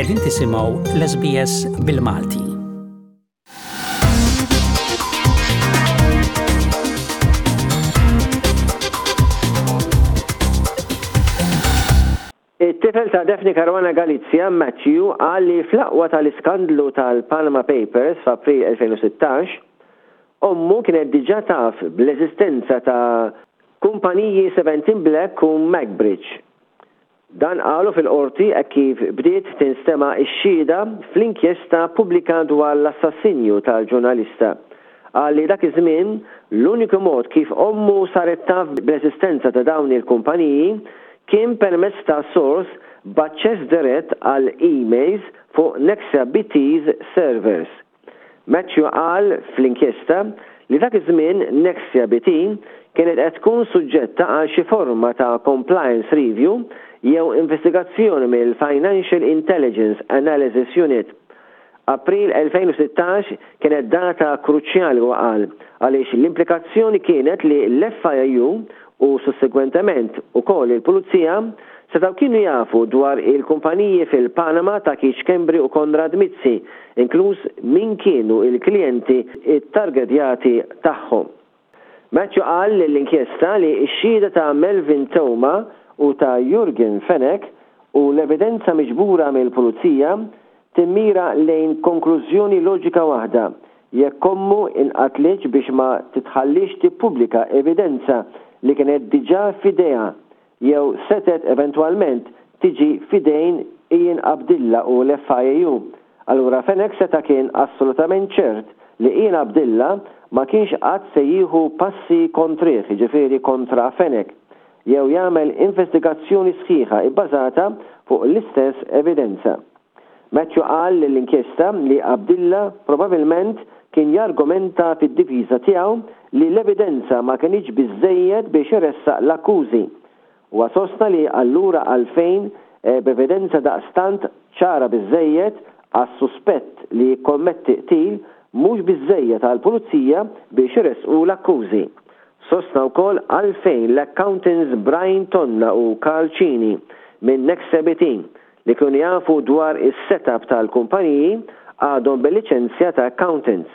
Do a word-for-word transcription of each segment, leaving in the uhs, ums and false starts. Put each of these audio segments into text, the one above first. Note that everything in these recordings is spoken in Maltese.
Qegħdin tisimgħu l-S B S bil-Malti. It-tifel ta' Daphne Caruana Galizia, Matthew, qal li fl-aqwa tal-iskandlu tal-Panama Papers f'April elfejn u sittax, ommu kienet diġà taf bl-eżistenza ta' kumpaniji seventeen Black u MacBridge. Dan qalu fil-qorti e kif bdiet tinstema' x-xhieda fl-inkjesta pubblika dwar l-assassinju tal-ġurnalista. Qal li dak iż-żmien l-uniku mod kif ommu saret taf bl-eżistenza ta' dawn il-kumpaniji kien permezz ta' source b'aċċess dirett għal emails fuq Nexia B T's servers. Matthew qal fl-inkjesta li dak iż-żmien Nexia B T kienet qed tkun suġġetta għal xi forma ta' compliance review jew investigazzjoni mill-Financial Intelligence Analysis Unit. April elfejn u sittax kienet data kruċjali, u qal, għaliex l-implikazzjoni kienet li l-F I U u sussegwentement ukoll il-Pulizija setgħu kienu jafu dwar il-kumpaniji fil-Panama ta' Keith Schembri u Konrad Mizzi, inkluż min kienu il-klijenti it-targetjati tagħhom. Matthew qal l-inkjesta li x-xhieda ta' Melvin Theuma u ta' Yorgen Fenech u l-evidenza miġbura mill-Pulizija timmira lejn konklużjoni loġika waħda: jekk ommu inqatlitx biex ma titħallix tippubblika evidenza li kienet diġà f'idejha jew setet eventwalment tiġi f'idejn Ian Abdilla u l-F I U. Allura Fenech seta kien assolutament ċert li Ian Abdilla ma kienx qatt se jieħu passi kontrih, ġifieri kontra Fenech, jew jagħmel investigazzjoni sħiħa ibbażata fuq l-istess evidenza. Matthew qal l-inkjesta li Abdilla probabilment kien jargumenta fid-difiża tiegħu li l-evidenza ma kienx biżejjed biex iressaq l-akkużi. U sostna li allura għalfejn eh, b'evidenza daqstant ċara biżejjed għas suspett li kommetti qtil mhux biżejjed għall-pulizija biex iressqu l-akkużi. Sostna wkoll għalfejn l-accountants Brian Tonna u Karl Cini minn Nexia B T li kienu jafu dwar is-setup tal-kumpaniji għadhom bil-liċenzja ta' accountants.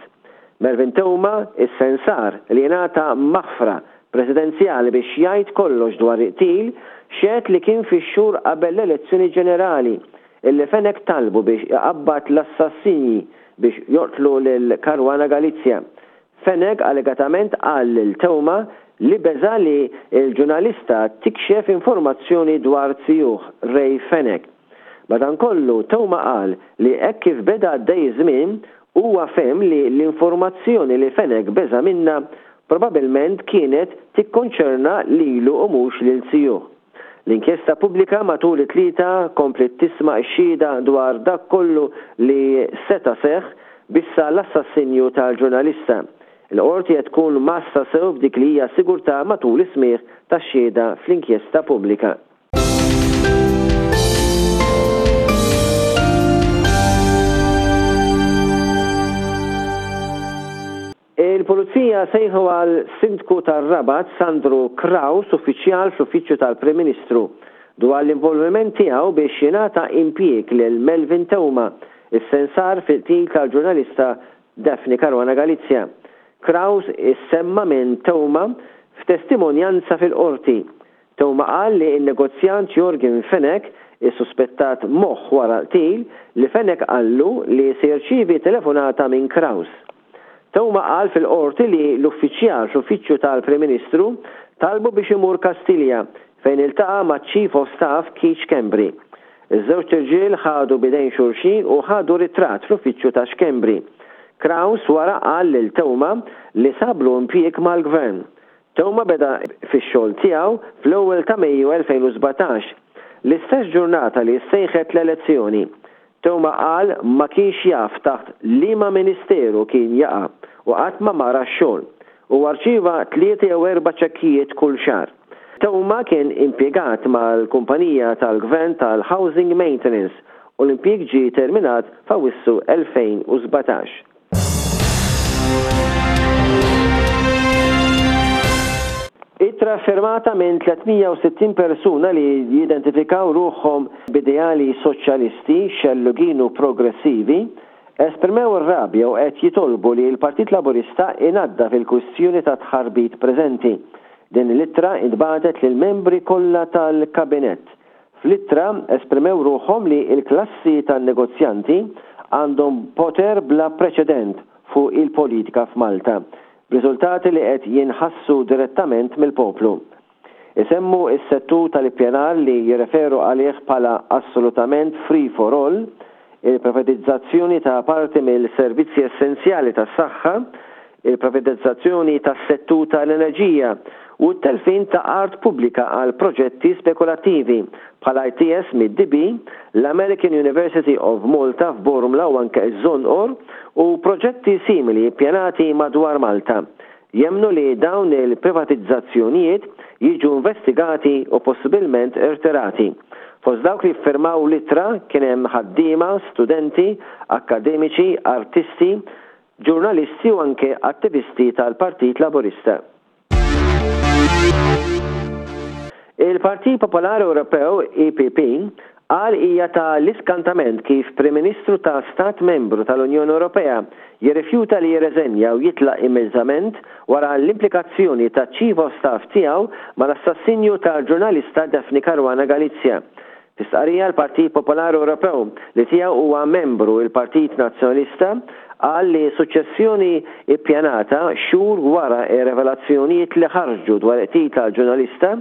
Melvin Theuma, is-sensar li jingħata maħfra presidenzjali biex jgħid kollox dwar il-qtil, xehed li kien fix-xhur qabel l-elezzjoni ġenerali illi Fenech talbu biex iqabbad l-assassini biex joqtlu lil Caruana Galizia. Fenech allegatament qal lil Theuma li beża li il-ġurnalista tikxef informazzjoni dwar zijuh Ray Fenech. Madankollu Theuma qal li hekk kif beda għaddej żmien huwa fehem li l-informazzjoni li Fenech beża minna probabilment kienet tikkonċerna lilu u mhux lil zijuh. L-inkjesta pubblika matul it-Tlieta komplet tisma' x-xhieda dwar dak kollu li seta seħ bissa l-assassinju tal-ġurnalista. Il-qorti qed tkun mgħassa sew f'dik li hija sigurtà matul is-smigħ tax-xhieda fl-inkjesta pubblika. Il-Pulizija sejħu għal sindku tar-Rabat Sandro Craus, uffiċjal fl-Uffiċċju tal-Prim Ministru, dwar l-involviment tiegħu biex jingħata impjieg lil Melvin Theuma, is-sensar fil-qtil tal-ġurnalista Daphne Caruana Galizia. Craus issemma minn Theuma f'testimonjanza fil-qorti. Theuma qal li n-negozjant Yorgen Fenech, is-suspettat moħħ wara l-qtil, li Fenech qallu li se jirċievi telefonata minn Craus. Theuma qal fil-qorti li l-uffiċjal fl-uffiċċju tal-Prim Ministru talbu biex imur Kastilja fejn iltaqa' ma' Chief of Staff Keith Schembri. Iż-żewġ irġiel ħadu b'idejn xulxin u ħadu ritratt fl-uffiċċju ta' Schembri. Craus wara qal lil Theuma li sablu impjieg mal-gvern. Theuma beda fix-xogħol tiegħu fl-ewwel ta' Mejju elfejn u sbatax, l-istess ġurnata li sejħet l-elezzjoni. Theuma qal ma kienx jaf taħt liema ministeru kien jaqa' u qatt ma mar għax-xogħol u rċieva tlieta jew erba' ċekkijiet kull xahar. Theuma kien impjegat mal-kumpanija tal-gvern tal-Housing Maintenance u l-impjieg ġie terminat f'Awwissu elfejn u sbatax. Ittra firmata minn tliet mija u sittin persuna li jidentifikaw ruħhom b'ideali soċjalisti, xellugin u progressivi, esprimew ir-rabja u qed jitolbu li l-Partit Laburista inaddaf il-kwistjoni ta' tħarbit preżenti. Din l-ittra intbagħtet lill-membri kollha tal-Kabinett. Fl-ittra esprimew ruħhom li l-klassi tan-negozjanti għandhom poter bla preċedent fuq il-politika f'Malta, b'riżultati li qed jinħassu direttament mill-poplu. Isemmu s-settur tal-ippjanar li jirreferu għalih bħala assolutament free for all, il-privatizzazzjoni ta' parti mill-servizzi essenzjali tas-saħħa, il-privatizzazzjoni tas-settur tal-enerġija u t-telfin ta' art pubblika għal proġetti spekulattivi bħal I T S mid-D B, l-American University of Malta f'Bormla u anke ż-Żonqor u proġetti simili ppjanati madwar Malta. Jemmnu li dawn il-privatizzazzjonijiet jiġu investigati u possibilment irtirati. Fost dawk li ffirmaw l-ittra kien hemm ħaddiema, studenti, akademiċi, artisti, ġurnalisti u anke attivisti tal-Partit Laburista. Il-Partit Popolari Ewropew, E P P, qal hija ta' l-iskantament kif Prim Ministru ta' Stat Membru tal-Unjoni Ewropea jirrifjuta li jirreżenja u jitlaq immedjatament wara l-implikazzjoni ta' Chief of Staff tiegħu mal-assassinju ta' ġurnalista Daphne Caruana Galizia. F'istqarrija l-Partit Popolari Ewropew, li tiegħu huwa membru il-Partit Nazzjonalista, qal li suċċessjoni ippjanata xhur wara r-revelazzjonijiet li ħarġu dwar qtil tal-ġurnalista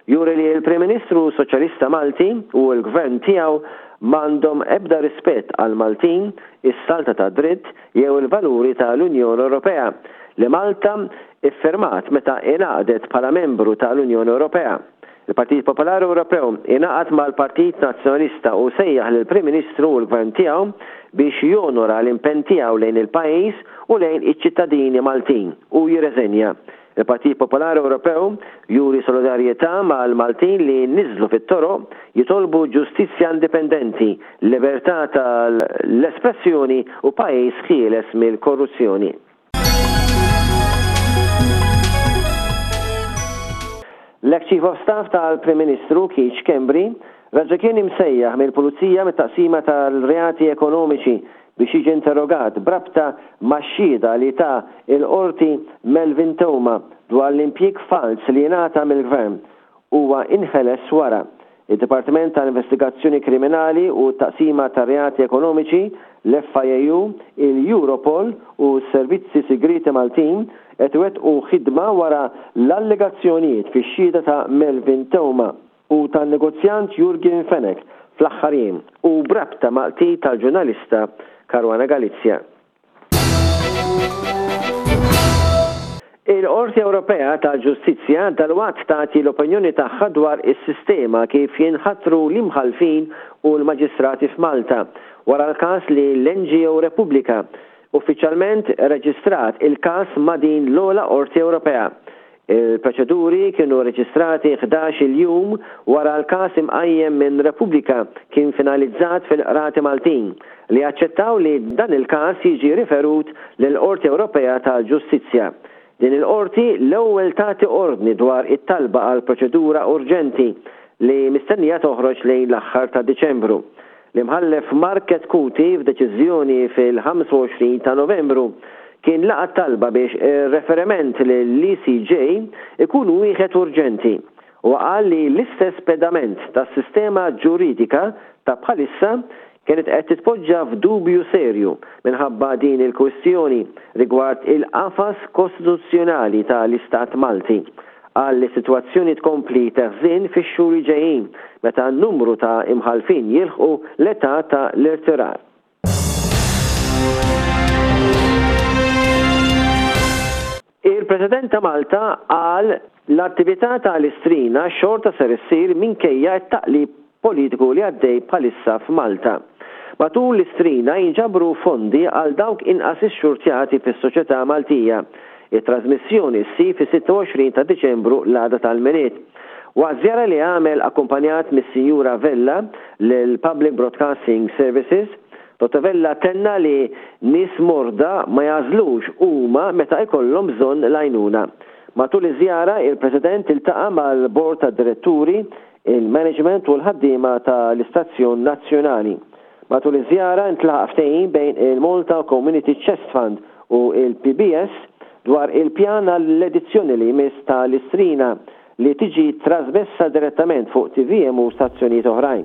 juri li l-Prim Ministru Soċjalista Malti u l-Gvern tiegħu m'għandhom ebda rispett għal Maltin, is-salta ta' dritt jew il-valuri tal-Unjoni Ewropea li Malta iffirmat meta ingħaqdet bħala membru tal-Unjoni Ewropea. Il-Partit Popolari Ewropew ingħaqad mal-Partit Nazzjonalista u sejjaħ lill-Prim Ministru u l-Gvern tiegħu biex jonora l-impenn tiegħu lejn il-pajjiż u lejn iċ-ċittadini Maltin u jirreżenja. Il-Partit Popolari Ewropew juri solidarjetà mal-Maltin li niżlu fit-toroq jitolbu ġustizzja indipendenti, libertà tal-espressjoni u pajjiż ħieles mill-korruzzjoni. L-ex Chief of Staff tal-Prim Ministru Keith Schembri raġa kien imsejjaħ mill-Pulizija mit-taqsima tal-reati ekonomiċi biex jiġi interrogat b'rabta max-xhieda li ta il-qorti Melvin Theuma dwar l-impjieg fals li jingħata mill-Gvern. Huwa inħeles wara. Il-Dipartiment tal-Investigazzjoni Kriminali u t-Taqsima tar-Reati Ekonomiċi, l-F I A U, il-Europol u s-Servizzi Segreti Maltin qed iwettqu ħidma wara l-allegazzjonijiet fix-xhieda ta' Melvin Theuma u tan-negozjant Yorgen Fenech fl-aħħar jiem u b'rabta mal-qtil tal-ġurnalista Caruana Galizia. Il-Qorti Ewropea tal-Ġustizzja dalwaqt tagħti l-opinjoni tagħha dwar is-sistema kif jinħatru l-imħallfin u l-maġistrati f'Malta wara l-każ li l-N G O Repubblika uffiċjalment reġistrat il-każ ma' din l-ogħla Qorti Ewropea. Il-proċeduri kienu reġistrati ħdax-il jum wara l-każ imqajjem minn Repubblika kien finalizzat fil-Qrati Maltin li aċċettaw li dan il-każ jiġi riferut lill-Qorti Ewropea tal-Ġustizzja. Din il-qorti l-ewwel tagħti ordni dwar it-talba għal proċedura urġenti li mistennija toħroġ lejn l-aħħar ta' Diċembru. L-imħallef Mark Chetcuti f'deċiżjoni fil-ħamsa u għoxrin ta' Novembru kien laqa talba biex ir-referiment lill-E C J ikun wieħed urġenti u qal li l-istess pedament tas-sistema ġuridika ta' bħalissa kienet qed titpoġġa f'dubju serju minħabba din il-kwistjoni rigward il-qafas kostituzzjonali tal-Istat Malti. Qal li s-sitwazzjoni tkompli teħżin fix-xhur li ġejjin meta n-numru ta' imħallfin jilħqu l-età ta' l-irtirar. Il-President ta' Malta qal l-attività tal-Istrina xorta ser issir minkejja t-taqlib politiku li għaddej bħalissa f'Malta. Matul l-Istrina jinġabru fondi għal dawk inqas ixxurtjati fis-soċjetà Maltija. Il-trasmissjoni ssir fis-sitta u għoxrin ta' Diċembru l-għada tal-Milied. Waqt żjara li għamel akkumpanjat mis-Sinjura Vella lill-Public Broadcasting Services, Dottor Vella tenna li nies morda ma jażlux huma meta jkollhom bżonn l-għajnuna. Matul iż-żjara, il-President iltaqa' mal-Bord tad-Diretturi, il-Management u l-ħaddiema tal-Istazzjon Nazzjonali. Matul iż-żjara ntlaħaq ftehim bejn il-Malta Community Chest Fund u il-P B S dwar il-pjan għall-edizzjoni li jmiss tal-Istrina, li tiġi trasmessa direttament fuq T V M u stazzjonijiet oħrajn.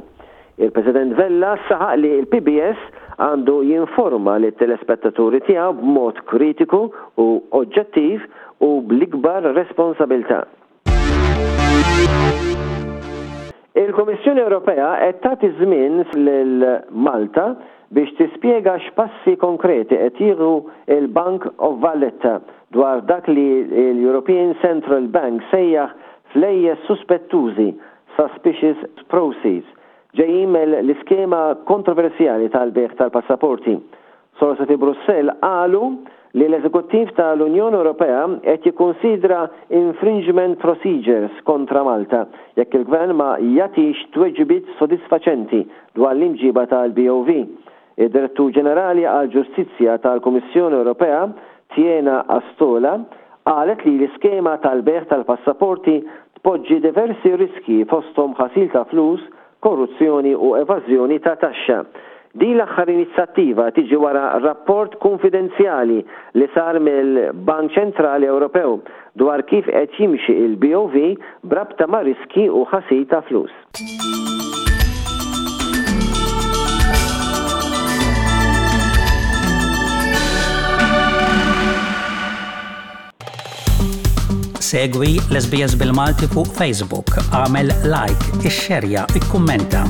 Il-President Vella saħaq li il-P B S għandu jinforma lit-telespettaturi tiegħu b'mod kritiku u oġġettiv u bl-ikbar responsabilità. Il-Kummissjoni Ewropea qed tagħti żmien lil Malta biex tispjega x'passi konkreti qed jieħu il-Bank of Valletta dwar dak li l-European Central Bank sejjaħ flejjes suspettużi, suspicious proceeds, ġejjin mill-iskema kontroversjali tal-bejgħ tal-passaporti. Sorsi fi Brussell qalu li l-Eżekuttiv tal-Unjoni Ewropea qed jikkonsidra infringement procedures kontra Malta jekk il-Gvern ma jagħtix tweġibiet sodisfaċenti dwar l-imġiba tal-B O V. Id-Direttur Ġenerali għal-Ġustizzja tal-Kummissjoni Ewropea, Tiina Astola, qalet li l-iskema tal-bejgħ tal-passaporti tpoġġi diversi riski, fosthom ħasil ta' flus, korruzzjoni u evażjoni ta' taxxa. Din l-aħħar inizjattiva tiġi wara rapport konfidenzjali li sar mill-Bank Ċentrali Ewropew dwar kif qed jimxi il-B O V brabta ma' riski u ħasil ta' flus. Segwi l-S B S bil-Malti fuq Facebook, għamel like, ixxerja, ikkummenta.